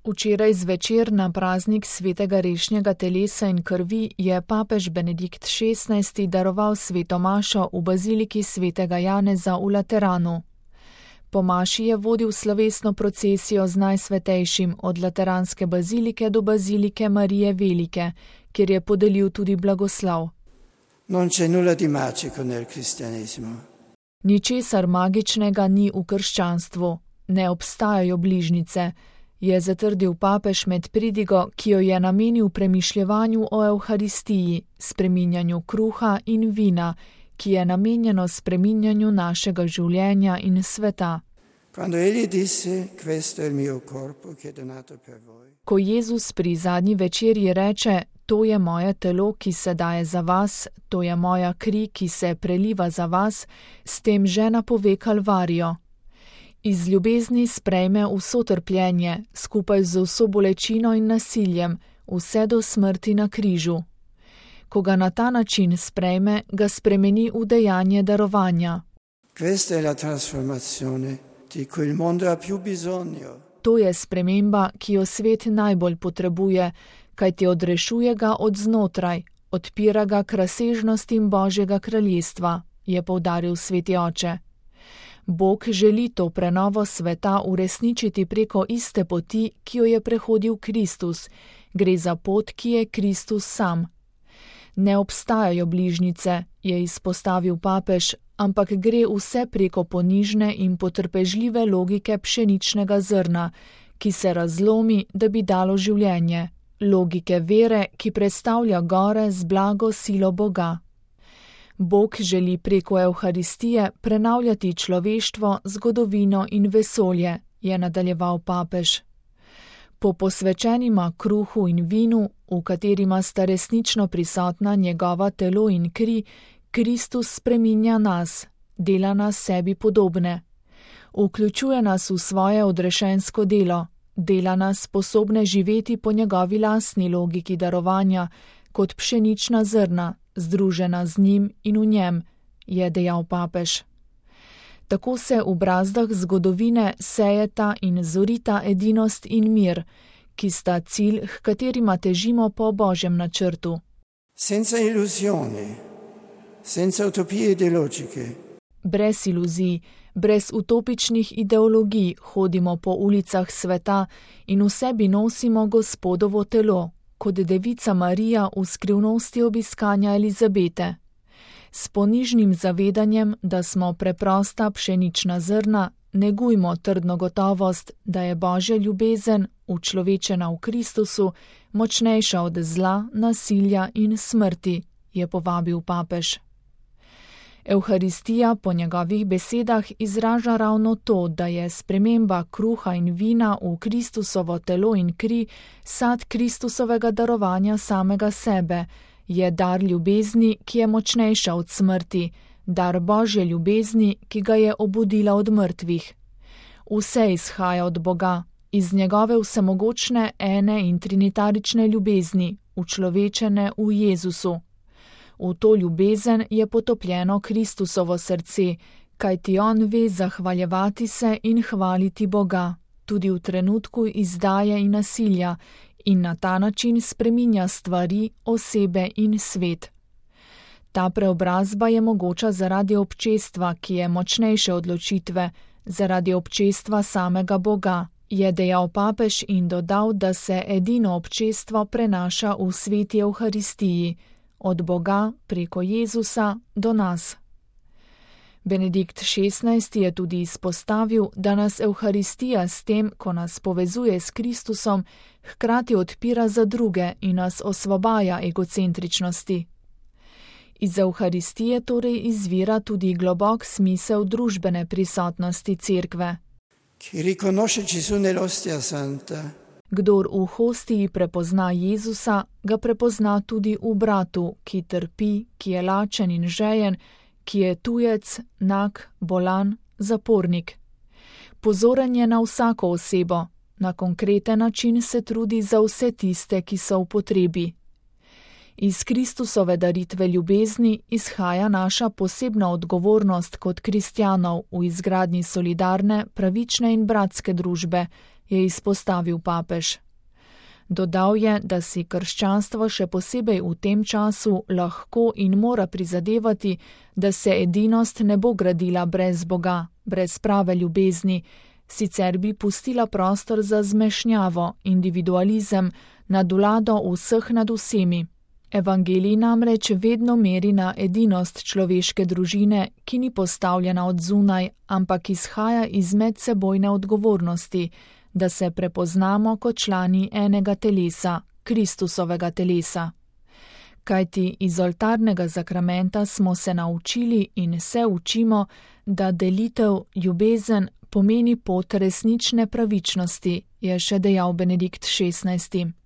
Včeraj zvečer na praznik svetega rešnjega telesa in krvi je papež Benedikt XVI. Daroval sveto mašo v baziliki svetega Janeza v Lateranu. Po maši je vodil slovesno procesijo z Najsvetejšim od Lateranske bazilike do bazilike Marije Velike, kjer je podelil tudi blagoslov. Non c'è nulla di magico nel cristianesimo. Ničesar magičnega ni v krščanstvu, ne obstajajo bližnjice, je zatrdil papež med pridigo, ki jo je namenil premišljevanju o Evharistiji, spreminjanju kruha in vina, ki je namenjeno spreminjanju našega življenja in sveta. Ko Jezus pri zadnji večerji reče, to je moje telo, ki se daje za vas, to je moja kri, ki se preliva za vas, s tem že napove Kalvarijo. Iz ljubezni sprejme vso trpljenje, skupaj z vso bolečino in nasiljem, vse do smrti na križu. Ko ga na ta način sprejme, ga spremeni v dejanje darovanja. To je sprememba, ki jo svet najbolj potrebuje, kajti odrešuje ga od znotraj, odpira ga k razsežnostim Božjega kraljestva, je poudaril sveti oče. Bog želi to prenovo sveta uresničiti preko iste poti, ki jo je prehodil Kristus. Gre za pot, ki je Kristus sam. Ne obstajajo bližnjice, je izpostavil papež, ampak gre vse preko ponižne in potrpežljive logike pšeničnega zrna, ki se razlomi, da bi dalo življenje, logike vere, ki predstavlja gore z blago silo Boga. Bog želi preko Evharistije prenavljati človeštvo, zgodovino in vesolje, je nadaljeval papež. Po posvečenima kruhu in vinu, v katerima sta resnično prisotna njegova telo in kri, Kristus spreminja nas, dela nas sebi podobne. Vključuje nas v svoje odrešensko delo, dela nas sposobne živeti po njegovi lastni logiki darovanja, kot pšenična zrna, združena z njim in v njem, je dejal papež. Tako se v brazdah zgodovine sejeta in zorita edinost in mir, ki sta cilj, h katerima težimo po Božjem načrtu. Senza illusioni, senza utopije ideologiche. Brez iluzij, brez utopičnih ideologij hodimo po ulicah sveta in v sebi nosimo Gospodovo telo, kot devica Marija v skrivnosti obiskanja Elizabete. S ponižnim zavedanjem, da smo preprosta pšenična zrna, negujmo trdno gotovost, da je Božja ljubezen, učlovečena v Kristusu, močnejša od zla, nasilja in smrti, je povabil papež. Evharistija po njegovih besedah izraža ravno to, da je sprememba kruha in vina v Kristusovo telo in kri sad Kristusovega darovanja samega sebe, je dar ljubezni, ki je močnejša od smrti, dar Božje ljubezni, ki ga je obudila od mrtvih. Vse izhaja od Boga, iz njegove vsemogočne ene in trinitarične ljubezni, učlovečene v Jezusu. V to ljubezen je potopljeno Kristusovo srce, kajti on ve zahvaljevati se in hvaliti Boga, tudi v trenutku izdaje in nasilja, in na ta način spreminja stvari, osebe in svet. Ta preobrazba je mogoča zaradi občestva, ki je močnejše odločitve, zaradi občestva samega Boga, je dejal papež in dodal, da se edino občestvo prenaša v sveti Evharistiji, od Boga preko Jezusa do nas. Benedikt XVI. Je tudi izpostavil, da nas Evharistija s tem, ko nas povezuje s Kristusom, hkrati odpira za druge in nas osvobaja egocentričnosti. Iz Evharistije torej izvira tudi globok smisel družbene prisotnosti Cerkve. Kdor v hostiji prepozna Jezusa, ga prepozna tudi v bratu, ki trpi, ki je lačen in žejen, ki je tujec, nag, bolan, zapornik. Pozoren je na vsako osebo, na konkreten način se trudi za vse tiste, ki so v potrebi. Iz Kristusove daritve ljubezni izhaja naša posebna odgovornost kot kristjanov v izgradnji solidarne, pravične in bratske družbe, je izpostavil papež. Dodal je, da si krščanstvo še posebej v tem času lahko in mora prizadevati, da se edinost ne bo gradila brez Boga, brez prave ljubezni, sicer bi pustila prostor za zmešnjavo, individualizem, nadvlado vseh nad vsemi. Evangelij namreč vedno meri na edinost človeške družine, ki ni postavljena od zunaj, ampak izhaja iz medsebojne odgovornosti, da se prepoznamo kot člani enega telesa, Kristusovega telesa. Kajti iz oltarnega zakramenta smo se naučili in se učimo, da delitev, ljubezen pomeni pot resnične pravičnosti, je še dejal Benedikt XVI.